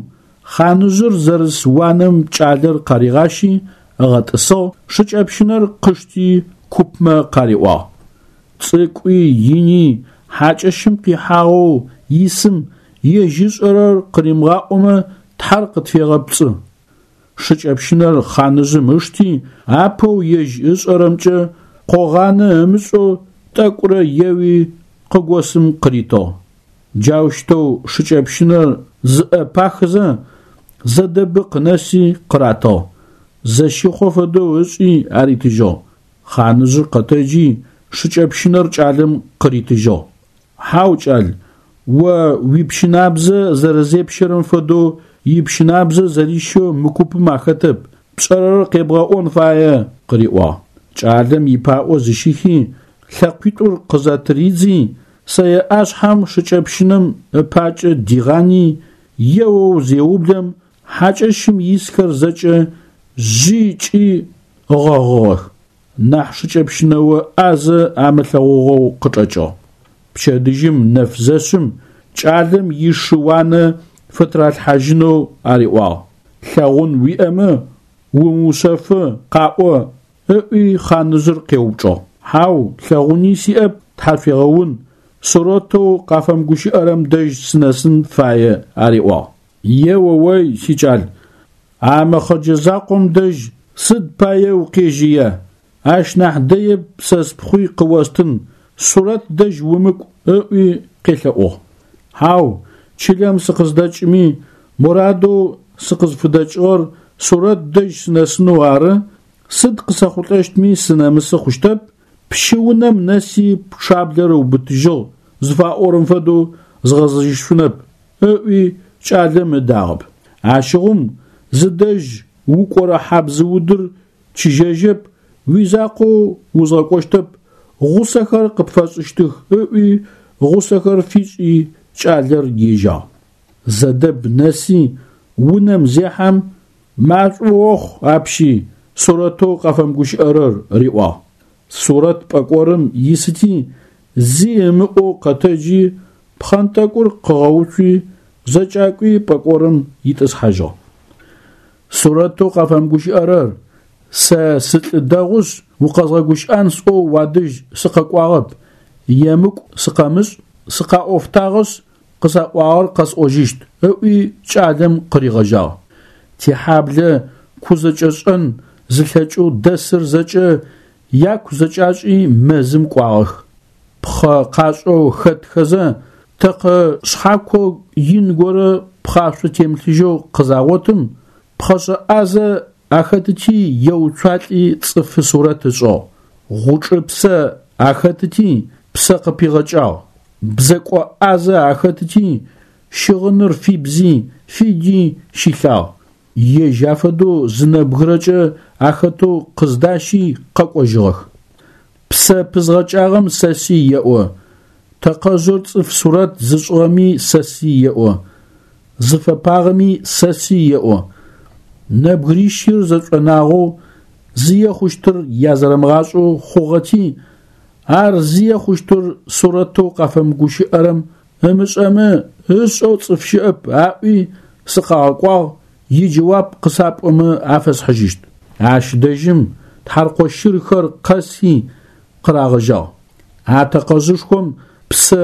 хъаныжъыр зэрыс уанэм кӏалэр къаригъащи, ыгъэтӏысыгъ, шыкӏэпщынэр къышти купмэ къариӏуагъ. Цӏыкӏуи ини хьакӏэщым къихьагъэу исым ежь ышӏэрэр къыримыгъаӏомэ Тхьэр къытфегъэпцӏы. Шыкӏэпщынэр хъаныжъым ышти, апэу ежь ышӏэрэмкӏэ къогъанэ ымышӏэу тӏэкӏурэ еуи къыгосым къыритыгъ. Джаущтэу шыкӏэпщынэр зыӏэпахызэ, Зэдэбы къынэси къыратыгъ. Зэщихъо фэдэу ышӏи аритыжьыгъ. Хъаныжъыр къэтэджи, шыкӏэпщынэр кӏалэм къыритыжьыгъ. Хьау, кӏал, о уипщынабзэ зэрэзепщэрэм фэдэу ипщынабзэ зэрищэу мы купым ахэтэп, пшӏэрэр къебгъэӏон фае, къыриӏуагъ. Кӏалэм ипаӏо зыщихи, лъэкъуитӏур къызэтыридзи, сэе ӏашъхьэм шыкӏэпщынэм ыпакӏэ дигъани, еоу зеублэм, хьакӏэщым исхэр зэкӏэ жъи кӏи ыгъэгъыгъэх. Нахь шыкӏэпщынэо ӏазэ амылъэгъугъэу къычӏэкӏыгъ. Пчэдыжьым нэф зэшъым кӏалэм ишы уанэ фытыралъхьажьынэу ариӏуагъ. Лъэгъун уиӏэмэ, умыушъэфы, къаӏо, ыӏуи хъаныжъыр къеупчӏыгъ. Хьау, лъэгъуни сиӏэп, тхьашъуегъэун, Сурэтэу къафэмыгущыӏэрэм дэжь сынэсын фае, ариӏуагъ. Е-о-ой, сикӏал, а мэхъэджэ закъом дэжь сыд пае укъежьыя? Ащ нахь дэеп сэ спхъуи къыостын, Сурэт дэжь умыкӏу, ыӏуи къелъэӏугъ. Хьау, чылэм сыкъыздэкӏыми, мурадэу сыкъызфыдэкӏыгъэр Сурэт дэжь сынэсынэу ары, сыд къысэхъулӏэщтми сынэмысы хъущтэп, пщы унэм нэси пчъаблэр ыубытыжьыгъ зыфаӏорэм фэдэу згъэзэжьышъунэп, ыӏуи кӏалэм ыдагъэп. Ащыгъум зыдэжь укӏорэ хьабзыудыр чыжьэжьэп, уизакъоу узгъэкӏощтэп, гъусэхэр къыпфэсшӏыщтых, ыӏуи гъусэхэр фишӏи кӏалэр ежьагъ. Зэдэб нэси унэм зехьэм, машӏо охъу апщи, Сурэтэу къафэмыгущыӏэрэр риӏуагъ. Сурэт пӏэкӏорым исыти, зи ымыӏоу къэтэджи, пхъэнтӏэкӏур къыгъэуцуи, зэкӏакӏуи пӏэкӏорым итӏысхьажьыгъ. Сурэтэу къафэмыгущыӏэрэр, сэ сылӏы дэгъушъ, укъэзгъэгущыӏэн сӏоу уадэжь сыкъэкӏуагъэп, емыкӏу сыкъэмышӏ, сыкъаӏофтагъэшъ, къысаӏуагъэр къэсӏожьыщт, ыӏуи кӏалэм къыригъэжьагъ. Тихьаблэ кузэкӏэшӏэн зылъэкӏэу дэсыр зэкӏэ яку зэкӏашӏи мэзым кӏуагъэх. Пхъэ къашӏэу хэтхэзэ, тэкъэ шъхьако ин горэ пхъашъо темылъыжьэу къызагъотым, пхъэшӏэ ӏазэ ахэтыти еуцуалӏи цӏыфы сурэт ышӏыгъ. Гъучӏыпсэ ахэтыти псэ къыпигъэкӏагъ. Бзэкӏо ӏазэ ахэтыти щыгъыныр фибзи, фиди щилъагъ. Ежь афэдэу зы нэбгырэкӏэ ахэтэу къыздащи къэкӏожьыгъэх. Псэ пызгъэкӏагъэм сэсый еӏо, тэкъэжъыр цӏыф сурэт зышӏыгъэми сэсый еӏо, зыфэпагъэми сэсый еӏо. Нэбгырищыр зэшӏонагъэу зые хъущтыр язэрэмыгъашӏэу хъугъэти, ар зые хъущтыр сурэтэу къафэмыгущыӏэрэм ымышӏэмэ ышӏэу цӏыф щыӏэп аӏуи сыкъагъэкӏуагъ, иджэуап къысапӏомэ афэсхьыжьыщт. Ащ дэжьым тхьаркъо щырхэр къэси къырагъэжьагъ. А тэкъэжъышхом псэ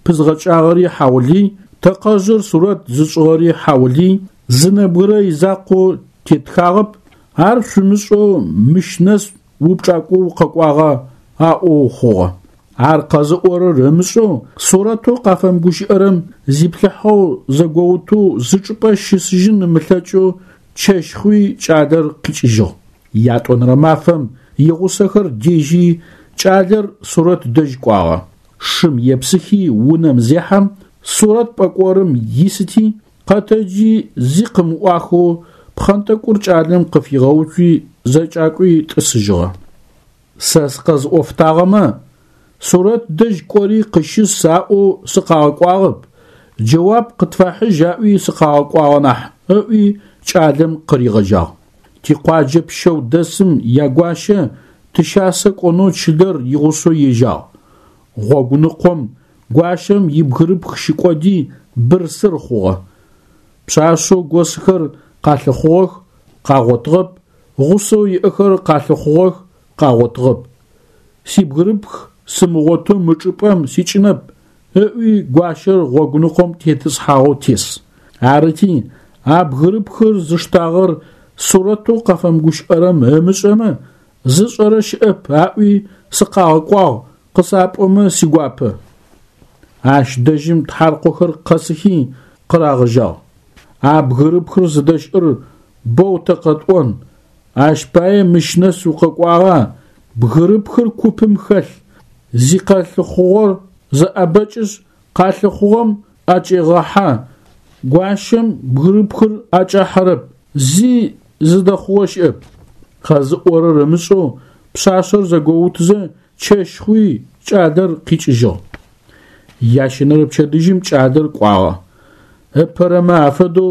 пызгъэкӏагъэри хьаулый, тэкъэжъыр сурэт зышӏыгъэри хьаулый, зы нэбгырэ изакъоу тетхагъэп, ар шъумышӏэу мыщ нэс упчӏакӏо укъэкӏуагъа аӏоу хъугъэ. Ар къэзыӏорэр ымышӏэу, сурэтэу къафэмыгущыӏэрэм зиплъыхьэу зэгоутэу зы чӏыпӏэ щысыжьын ымылъэкӏэу чэщ хъуи кӏалэр къикӏыжьыгъ. Ятӏонэрэ мафэм игъусэхэр дежьи кӏалэр Сурэт дэжь кӏуагъэ. Шым епсыхи унэм зехьэм, Сурэт пӏэкӏорым исыти, къэтэджи зи къымыӏуахэу пхъэнтӏэкӏур кӏалэм къыфигъэуцуи зэкӏакӏуи тӏысыжьыгъэ. Сэ сыкъэзыӏофтагъэмэ, Сурэт дэжь кӏори къыщыс аӏоу сыкъагъэкӏуагъэп, джэуап къытфэхьыжь аӏуи сыкъагъэкӏуагъэ нахь, ыӏуи кӏалэм къыригъэжьагъ. Тикъуаджэ пщэу дэсым ягуащэ тыщасэ кӏонэу чылэр игъусэу ежьагъ. Гъогуныкъом гуащэм ибгырыпх щыкӏоди бырсыр хъугъэ. Пшъашъэу госхэр къалъыхъугъэх, къагъотыгъэп, гъусэу иӏэхэр къалъыхъугъэх, къагъотыгъэп. Сибгырыпх сымыгъотэу мы чӏыпӏэм сикӏынэп, ыӏуи гуащэр гъогуныкъом тетӏысхьагъэу тес. Арыти, а бгырыпхыр зыштагъэр сурэтэу къафэмыгущыӏэрэм ымышӏэмэ, зышӏэрэ щыӏэп аӏуи сыкъагъэкӏуагъ, къысапӏомэ сигуапэ. Ащ дэжьым тхьаркъохэр къэсыхи къырагъэжьагъ. А бгырыпхыр зыдэщыӏэр боу тэ къэтӏон, ащ пае мыщ нэс укъэкӏуагъа, бгырыпхыр купым хэлъ, зикъэлъыхъугъор зэӏэбэкӏышъ, къалъыхъугъэм ӏэкӏегъэхьэ, гуащэм бгырыпхыр ӏэкӏахьэрэп, зи зыдэхъугъэ щыӏэп. Къэзыӏорэр ымышӏэу пшъашъэр зэгоутызэ чэщ хъуи кӏалэр къикӏыжьыгъ. Ящэнэрэ пчэдыжьым кӏалэр кӏуагъэ. Ыпэрэмэ афэдэу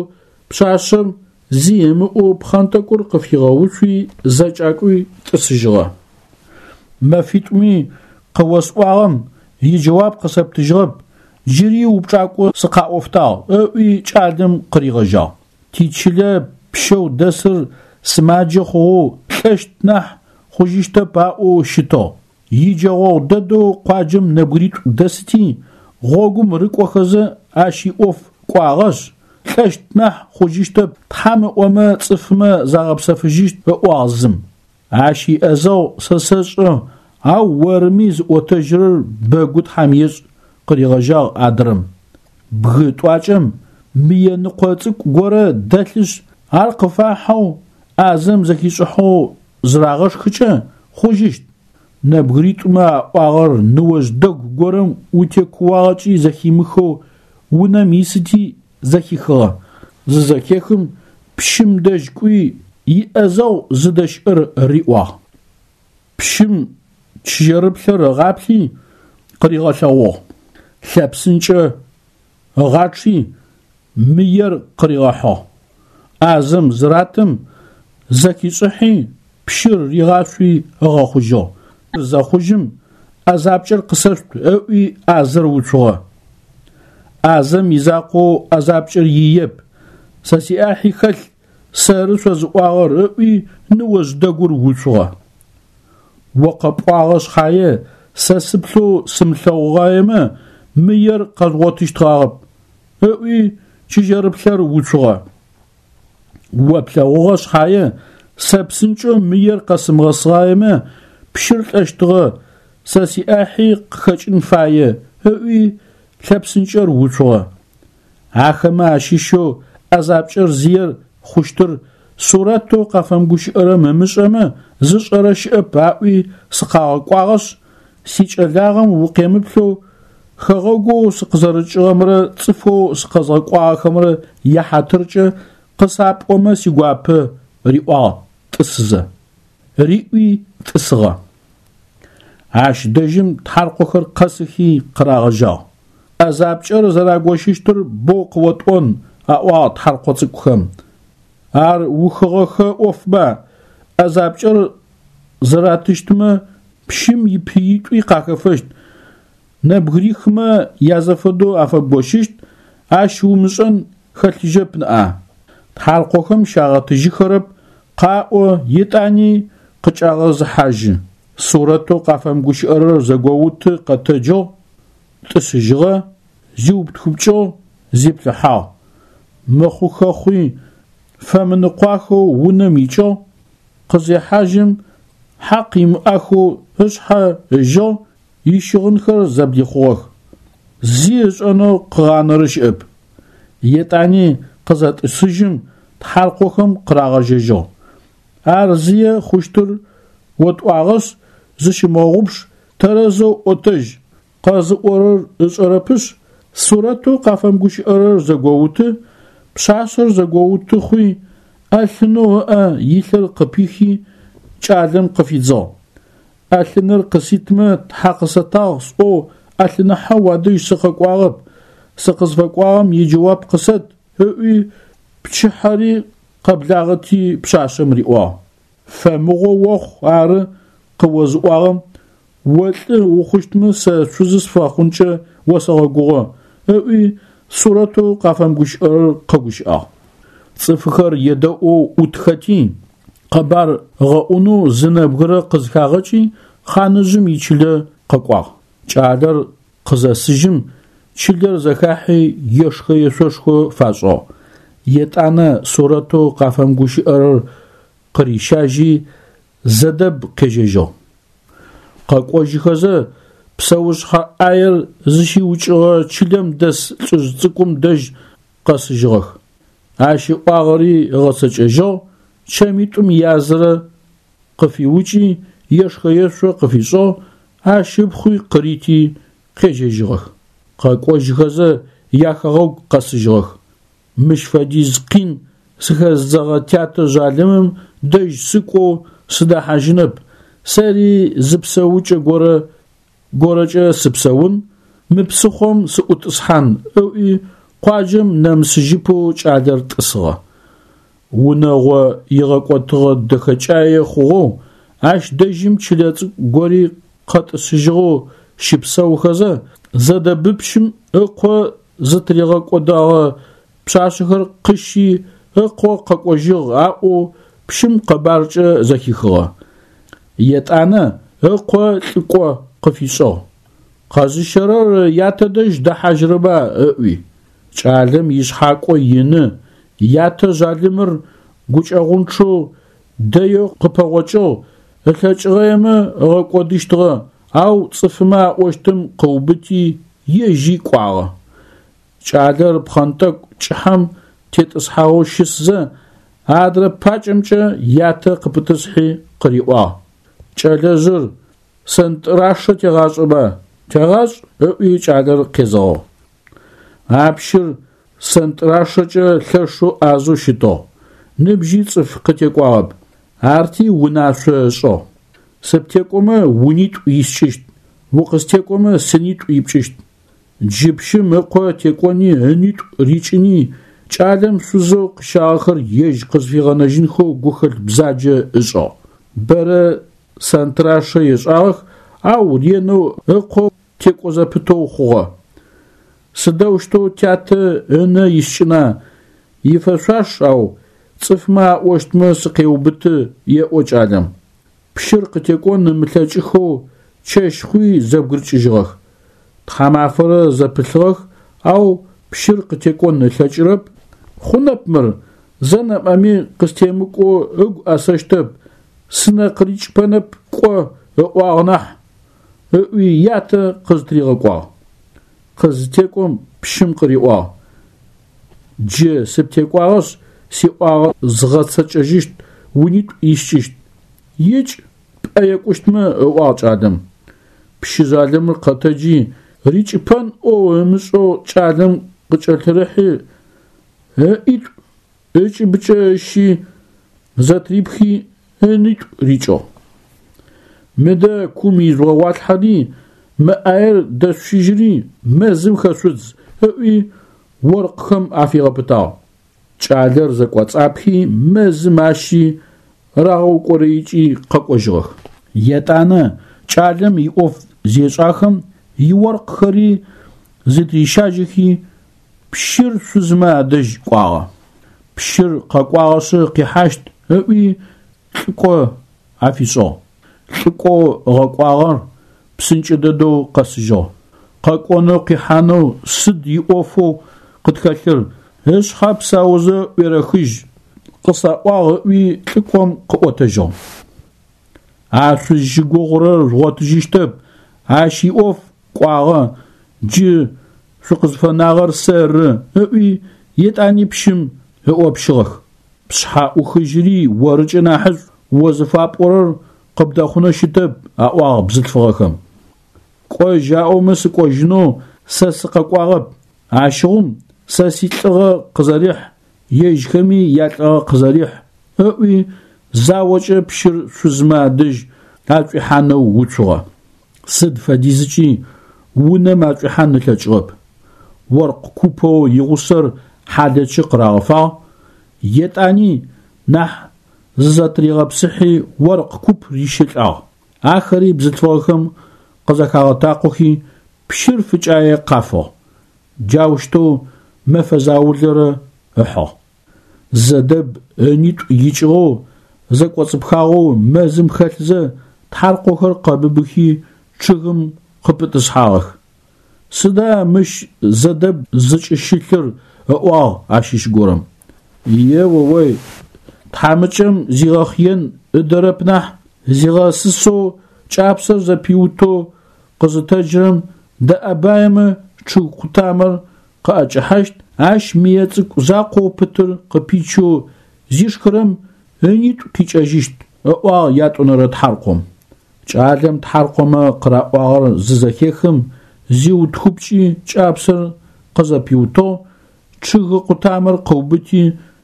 пшъашъэм зи ымыӏоу пхъэнтӏэкӏур къыфигъэуцуи зэкӏакӏуи тӏысыжьыгъэ. Мэфитӏуми къыосӏуагъэм иджэуап къысэптыжьыгъэп, джыри упчӏакӏо сыкъаӏофтагъ, ыӏуи кӏалэм къыригъэжьагъ. Тичылэ пщэу дэсыр сымаджэ хъугъэу лӏэщт нахь хъужьыщтэп аӏоу щытыгъ. Иджэгъогъу дэдэу къуаджэм нэбгыритӏу дэсыти, гъогум рыкӏохэзэ ащ иӏоф кӏуагъэшъ, лӏэщт нахь хъужьыщтэп, Тхьэм ыӏомэ цӏыфмэ загъэпсэфыжьыщт ыӏуагъ зым. Ащ иӏэзэгъу сэ сэшӏэ, ау орыми зыӏотэжьырэр бэгу Тхьэм ешӏ, къыригъэжьагъ адрэм. Бгы тӏуакӏэм мые ныкъо цӏыкӏу горэ дэлъышъ, ар къыфахьэу, ӏазэм зэхишӏыхьэу зырагъэшхыкӏэ, хъужьыщт. Нэбгыритӏумэ аӏуагъэр ныожъ дэгу горэм утекууагъэкӏи зэхимыхэу унэм исыти зэхихыгъэ. Зызэхехым, пщым дэжь кӏуи, иӏэзэгъу зыдэщыӏэр риӏуагъ. Пщым чыжьэрыплъэр ыгъаплъи, къыригъэлъэгъугъ. Лъэпсынкӏэ ыгъачъи, мыер къыригъэхьыгъ. ӏазэм зыратым, зэхишӏыхьи, пщыр ригъашъуи ыгъэхъужьыгъ. Зэхъужьым, ӏэзапкӏэр къысэшъут ыӏуи ӏазэр уцугъэ. ӏазэм изакъоу ӏэзапкӏэр иеп, сэ сиӏахьи хэлъ, сэры шъозыӏуагъэр ыӏуи ныожъ дэгур уцугъэ. О къэпӏуагъэ шъхьае, сэ сыплъэу сымылъэгъугъаемэ, мыер къэзгъотыщтгъагъэп, ыӏуи чыжьэрыплъэр уцугъэ. О плъэгъугъэ шъхьае, сэ псынкӏэу мыер къэсымыгъэсыгъаемэ, пщыр лӏэщтыгъэ, сэ сиӏахьи къыхэкӏын фае, ыӏуи лъэпсынкӏэр уцугъэ. Ахэмэ ащыщэу ӏэзапкӏэр зиер хъущтыр сурэтэу къафэмыгущыӏэрэм ымышӏэмэ, зышӏэрэ щыӏэп аӏуи сыкъагъэкӏуагъэшъ, сикӏэлагъэм укъемыплъэу, хэгъэгоу сыкъызэрыкӏыгъэмрэ цӏыфэу сыкъэзгъэкӏуагъэхэмрэ яхьатыркӏэ къысапӏомэ сигуапэ, риӏуагъ тӏысызэ. Риӏуи тӏысыгъэ. Ащ дэжьым тхьаркъохэр къэсыхи къырагъэжьагъ. ӏэзапкӏэр зэрагощыщтыр боу къыотӏон, аӏуагъ тхьаркъо цӏыкӏухэм. Ар ухыгъэхэ ӏофба, ӏэзапкӏэр зэратыщтмэ пщым ипыитӏуи къахэфэщт, нэбгырихмэ язэфэдэу афэбгощыщт, ащ умышӏэн хэлъыжьэп ныӏа. Тхьаркъохэм щагъэтыжьыхэрэп, къаӏо, етӏани къыкӏагъэзыхьажьы. Сурэтэу къафэмыгущыӏэрэр зэгоуты къэтэджыгъ, тӏысыжьыгъэ, зиутхыпкӏыгъ, зиплъыхьагъ. Мыхъухэ хъуи, фэмыныкъуахэу унэм икӏыгъ, къызехьажьым, хьакъ имыӏахэу ышъхьэ ыжьыгъ, ищыгъынхэр зэблихъугъэх. Зи ышӏэнэу къыгъанэрэ щыӏэп. Етӏани къызэтӏысыжьым, тхьаркъохэм къырагъэжьэжьыгъ. Ар зые хъущтыр отӏуагъэшъ, зыщымыгъэгъупш, тэрэзэу ӏотэжь, къэзыӏорэр ышӏэрэпышъ, сурэтэу къафэмыгущыӏэрэр зэгоуты, пшъашъэр зэгоуты хъуи, ӏэлъынэу ыӏэ илъыр къыпихи, кӏалэм къыфидзыгъ. ӏэлъыныр къыситмэ, тхьэ къысэтагъ сӏоу ӏэлъыныхьэ уадэжь сыкъэкӏуагъэп, сыкъызфэкӏуагъэм иджэуап къысэт, ыӏуи, пчыхьэри къэблагъэти пшъашъэм риӏуагъ. Фэмыгъо охъу ары къыозыӏуагъэм, о лӏы ухъущтмэ сэ шъузы сыпфэхъункӏэ осэгъэгугъэ, ыӏуи сурэтэу къафэмыгущыӏэрэр къэгущыӏагъ. Цӏыфхэр едэӏоу ӏутхэти, къэбар ыгъэӏунэу зы нэбгырэ къызхагъэкӏи, хъаныжъым ичылэ къэкӏуагъ. Кӏалэр къызэсыжьым, чылэр зэхахьи ешхэ-ешъошхо фашӏыгъ. Етӏанэ сурэтэу къафэмыгущыӏэрэр къырищажьи, Зэдэб къежьэжьыгъ. Къэкӏожьыхэзэ, псэушъхьэ ӏаер зыщиукӏыгъэ чылэм дэс лӏыжъ цӏыкӏум дэжь къэсыжьыгъэх. Ащ ыӏуагъэри ыгъэцэкӏэжьыгъ, чэмитӏум язырэ къыфиукӏи, ешхэ-ешъо къыфишӏыгъ, ащ ыпхъуи къырити, къежьэжьыгъэх. Къэкӏожьыхэзэ, яхэгъэгу къэсыжьыгъэх. Мыщ фэдиз къин сыхэзыдзэгъэ тятэ жъалымым дэжь сыкӏоу сыдэхьажьынэп, сэри зы псэукӏэ горэ горэкӏэ сыпсэун, мы псыхъом сыӏутӏысхьан, ыӏуи къуаджэм нэмысыжьыпэу кӏалэр тӏысыгъэ. Унэгъо игъэкӏотыгъэ дэхэкӏае хъугъэу, ащ дэжьым чылэ цӏыкӏу гори къэтӏысыжьыгъэу щыпсэухэзэ, Зэдэбыпщым ыкъо зытыригъэкӏодэгъэ пшъашъэхэр къыщи ыкъо къэкӏожьыгъ аӏоу пщым къэбаркӏэ зэхихыгъэ. Етӏанэ ыкъо лӏыкӏо къыфишӏыгъ. Къэзыщэрэр ятэ дэжь дэхьажьырэба ыӏуи. Кӏалэм ишъхьакӏо ины, ятэ жъалымыр гукӏэгъунчъэу дэеу къыпэгъокӏыгъ, ылъэкӏыгъэемэ ыгъэкӏодыщтыгъэ, ау цӏыфымэ аӏощтым къыубыти, ежьи кӏуагъэ. Кӏалэр пхъэнтӏэкӏу кӏыхьэм тетӏысхьагъэу щысзэ, адрэ пакӏэмкӏэ ятэ къыпытӏысхьи къыриӏуагъ: Кӏэлэжъыр, сэнтӏрашэ тегъашӏэба, тегъашӏ, ыӏуи кӏалэр къезэгъыгъ. А пщыр сэнтӏрашэкӏэ лъэшэу ӏазэу щытыгъ, ныбжьи цӏыф къытекӏуагъэп, арти унашъо ышӏыгъ. Сыптекӏомэ унитӏу искӏыщт, укъыстекӏомэ сынитӏу ипкӏыщт. Джы пщым ыкъо текӏони ынитӏу рикӏыни, кӏалэм шъузэу къыщагъэхэр ежь къызфигъэнэжьынхэу гухэлъ бзаджэ ышӏыгъ. Бэрэ сэнтӏрашэ ешӏагъэх, ау ренэу ыкъо текӏо зэпытэу хъугъэ. Сыдэущтэу тятэ ынэ искӏына, ифэшъуаш, ау цӏыфмэ аӏощтмэ сыкъеубыты, еӏо кӏалэм. Пщыр къытекӏон ымылъэкӏыхэу чэщ хъуи зэбгырыкӏыжьыгъэх. Тхьамафэрэ зэпылъыгъэх, ау пщыр къытекӏон ылъэкӏырэп. Хъунэп мыр, зэ нэмыӏэми къыстемыкӏоу ыгу ӏэсэщтэп, сынэ къырикӏыпэнэп кӏо ыӏуагъ нахь, ыӏуи ятэ къызтыригъэкӏуагъ. Къызытекӏом пщым къыриӏуагъ: Джы сыптекӏуагъэшъ, сиӏуагъэ згъэцэкӏэжьыщт, унитӏу искӏыщт. Икӏ, пӏэ екӏущтмэ, ыӏуагъ кӏалэм. Пщы жъалымыр къэтэджи, рикӏыпэн ӏоу ымышӏэу кӏалэм къыкӏэлъырыхьи, ыӏитӏу ыкӏыбыкӏэ ыщи, зэтырипхи, ынитӏу рикӏыгъ. Мыдэ кум ижъугъэгъуалъхьэри, мы ӏаер дэшъущыжьыри мэзым хэшъудз, ыӏуи оркъхэм афигъэпытагъ. Кӏалэр зэкӏоцӏапхи, мэзым ащи рагъэукӏорэикӏи къэкӏожьыгъэх. Етӏанэ кӏалэм иӏоф зешӏахэм иоркъхэри зытырищажьэхи, пщыр шъузмэ адэжь кӏуагъэ. Пщыр къэкӏуагъэшъы къихьащт ыӏуи лӏыкӏо афишӏыгъ. Лӏыкӏоу ыгъэкӏуагъэр псынкӏэ дэдэу къэсыжьыгъ. Къэкӏонэу къихьанэу сыд иӏофэу къытхэлъыр, ышъхьэ псаузэ ӏуерэхыжь, къысаӏуагъ ыӏуи лӏыкӏом къыӏотэжьыгъ. А шъузщыгугъырэр жъугъотыжьыщтэп, ащ иӏоф кӏуагъэ, джы шъукъызфэнагъэр сэры, ыӏуи етӏани пщым ыӏопщыгъэх. Пшъхьэ ӏухыжьыри орыкӏэ нахьышӏу, о зыфапӏорэр къыбдэхъунэу щытэп, аӏуагъ бзылъфыгъэхэм. Кӏожь аӏомэ сыкӏожьынэу сэ сыкъэкӏуагъэп, ащыгъум сэ силӏыгъэ къызэрихь, ежьхэми ялӏыгъэ къызэрихь, ыӏуи заокӏэ пщыр шъузмэ адэжь ашӏуихьанэу уцугъэ. Сыд фэдизыкӏи унэм ашӏуихьан ылъэкӏыгъэп. Оркъ купэу игъусэр хьалэчы къырагъэфагъ, етӏани нахь зызэтыригъэпсыхьи оркъ куп рищэлӏагъ. Ахэри бзылъфыгъэхэм къызэхагъэтакъохи, пщыр фыкӏае къафыгъ. Джаущтэу мэфэ заулэрэ ыхьыгъ. Зэдэб ынитӏу икӏыгъэу, зэкӏоцӏыпхагъэу мэзым хэлъзэ, тхьаркъохэр къэбыбыхи, чъыгым къыпытӏысхьагъэх. Сыда мыщ Зэдэб зыкӏыщылъыр? ыӏуагъ ащыщ горэм. Е-о-ой, тхьамыкӏэм зигъэхъыен ыдэрэп нахь, зигъэсысэу кӏапсэр зэпиутэу къызытэджырэм дэӏэбаемэ чъыг къутамэр къыӏэкӏэхьащт, ащ мые цӏыкӏу закъоу пытыр къыпичэу зишхырэм ынитӏу къикӏэжьыщт, ыӏуагъ ятӏонэрэ тхьаркъом. Кӏалэм тхьаркъомэ къыраӏуагъэр зызэхехым, зиутхыпкӏи кӏапсэр къызэпиутыгъ, чъыгы къутамэр къыубыти,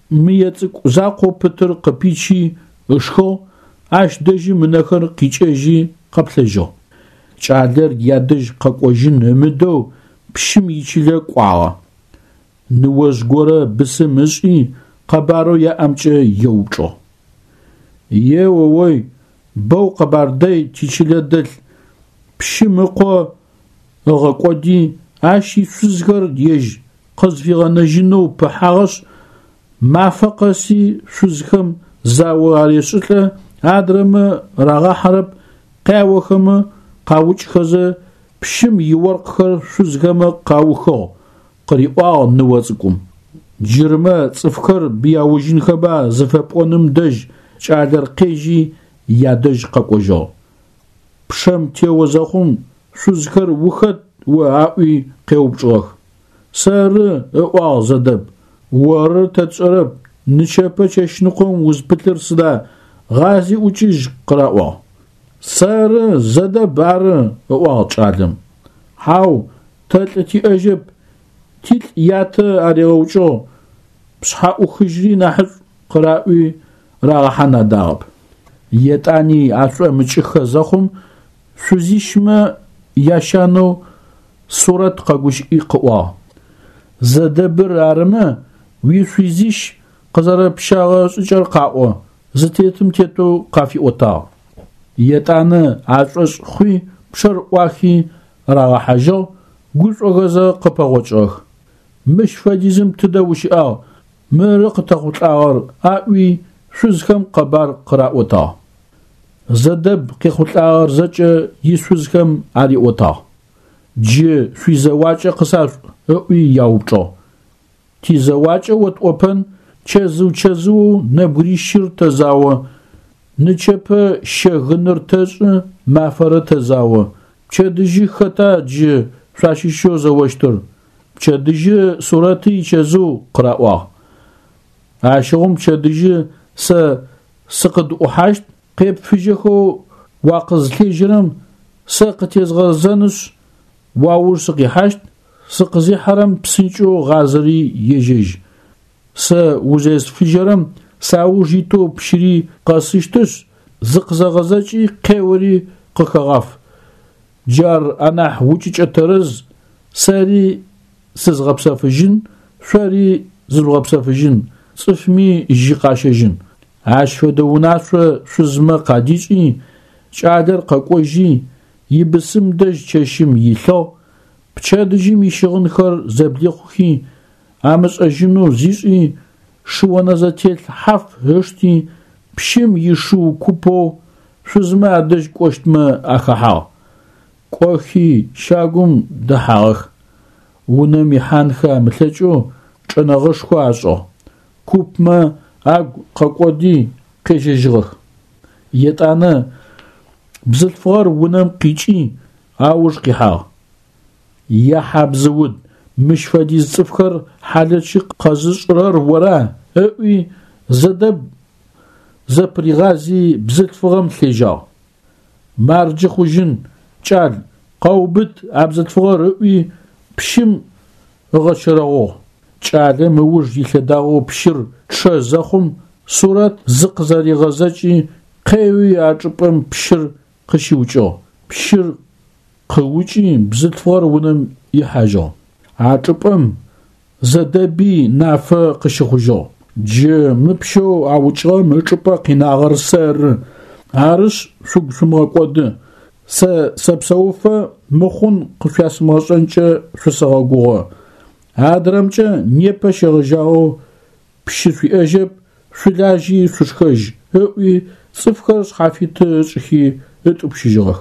мые цӏыкӏу закъоу пытыр къыпичи ышхыгъ, ащ дэжьым ынэхэр къикӏэжьи къэплъэжьыгъ. Кӏалэр ядэжь къэкӏожьын ымыдэу пщым ичылэ кӏуагъэ. Ныожъ горэ бысым ышӏи, къэбарэу яӏэмкӏэ еупчӏыгъ. Е-о-ой, бэу къэбар дэй тичылэ дэлъ, пщым ыкъо ыгъэкӏоди, ащ ишъузхэр ежь къызфигъэнэжьынэу пыхьагъэшъ, мафэ къэси шъузхэм зао арешӏылӏэ, адрэмэ рагъахьэрэп, къяохэмэ, къаукӏхэзэ, пщым иоркъхэр шъузхэмэ къаухыгъ, къыриӏуагъ ныо цӏыкӏум. Джырмэ цӏыфхэр быяужьынхэба зыфэпӏоным дэжь кӏалэр къежьи ядэжь къэкӏожьыгъ. Пчъэм тео зэхъум шъузхэр ухэт о аӏуи къеупчӏыгъэх. Сэры, ыӏуагъ Зэдэб, оры тэ тшӏэрэп, нычэпэ чэщныкъом узпылъыр сыда, гъази ӏукӏыжь къыраӏуагъ. Сэры, Зэдэб ары, ыӏуагъ кӏалэм. Хьау, тэ лӏы тиӏэжьэп, тилӏ ятэ аригъэукӏыгъ, пшъхьэ ӏухыжьри нахьышӏу къыраӏуи рагъэхьан адагъэп. Етӏани ашӏомыкӏыхэ зэхъум, шъузищмэ ящанэу Сурэт къэгущыӏи къыӏуагъ. Зэдэбыр арымэ, уишъузищ къызэрэпщагъэ шӏыкӏэр къаӏо, зытетым тетэу къафиӏотагъ. Етӏанэ ашӏошъ хъуи пчъэр ӏуахи рагъэхьажьыгъ, гушӏохэзэ къыпэгъокӏыгъэх. Мыщ фэдизым тыдэ ущыӏагъ, мыры къытэхъулӏагъэр, аӏуи шъузхэм къэбар къыраӏотагъ. Зэдэб къехъулӏагъэр зэкӏэ ишъузхэм ариӏотагъ. Джы шъуизэуакӏэ къысашъуӏу, ыӏуи яупчӏыгъ. Тизэуакӏэ отӏопэн, чэзыу-чэзыоу нэбгырищыр тэзао, нычэпэ щэ гыныр тэшӏы, мафэрэ тэзао. Пчэдыжьы хэта джы шъуащыщэу зэощтыр? Пчэдыжьы Сурэты ичэзыу, къыраӏуагъ. Ащыгъум пчэдыжьы сэ сыкъыдӏухьащт, къепфыжьэхэу уакъызлъежьэрэм сэ къытезгъэзэнышъ, уауж сыкъихьащт, сыкъызихьэрэм псынкӏэу гъазэри ежьэжь. Сэ узесфыжьэрэм сауж итэу пщыри къэсыщтышъ, зыкъызэгъэзэкӏи къеори къыхэгъаф. Джар анахь укӏыкӏэ тэрэз, сэри сызгъэпсэфыжьын, шъори зыжъугъэпсэфыжьын, цӏыфми жьы къащэжьын. Ащ фэдэ унашъо шъузмэ къадишӏи, кӏалэр къэкӏожьи, ибысым дэжь чэщым илъыгъ, пчэдыжьым ищыгъынхэр зэблихъухи, амышӏэжьынэу зишӏи, шыонэзэтелъ хьаф ышти, пщым ишыу купэу шъузмэ адэжь кӏощтмэ ахэхьагъ. Кӏохи, щагум дэхьагъэх. Унэм ихьанхэ амылъэкӏэу чӏэнэгъэшхо ашӏыгъ. Купмэ агу къэкӏоди къежьэжьыгъэх. Етӏанэ бзылъфыгъэр унэм къикӏи ауж къихьагъ. Я хьабзыуд, мыщ фэдиз цӏыфхэр хьалэчы къэзышӏырэр ора? ыӏуи Зэдэб зэпыригъази бзылъфыгъэм лъежьагъ. Марджы хъужьын, кӏал, къэубыт а бзылъфыгъэр ыӏуи пщым ыгъэчэрэгъугъ. Кӏалэм ыуж илъэдагъэу пщыр чъэ зэхъум, Сурэт зыкъызэригъэзэкӏи къеуи а чӏыпӏэм пщыр къыщиукӏыгъ. Пщыр къыукӏи бзылъфыгъэр унэм ихьажьыгъ. А чӏыпӏэм Зэдэби нафэ къыщыхъужьыгъ. Джы мы пщэу аукӏыгъэм ычӏыпӏэ къинагъэр сэры. Арышъ, шъугу шъумыгъэкӏоды. Сэ сэпсэуфэ мыхъун къышъуясымыгъэшӏэнкӏэ шъусэгъэгугъэ. Адрэмкӏэ непэ щегъэжьагъэу пщы шъуиӏэжьэп, шъулажьи шъушхэжь, ыӏуи цӏыфхэр шъхьафиты ышӏыхи ытӏупщыжьыгъэх.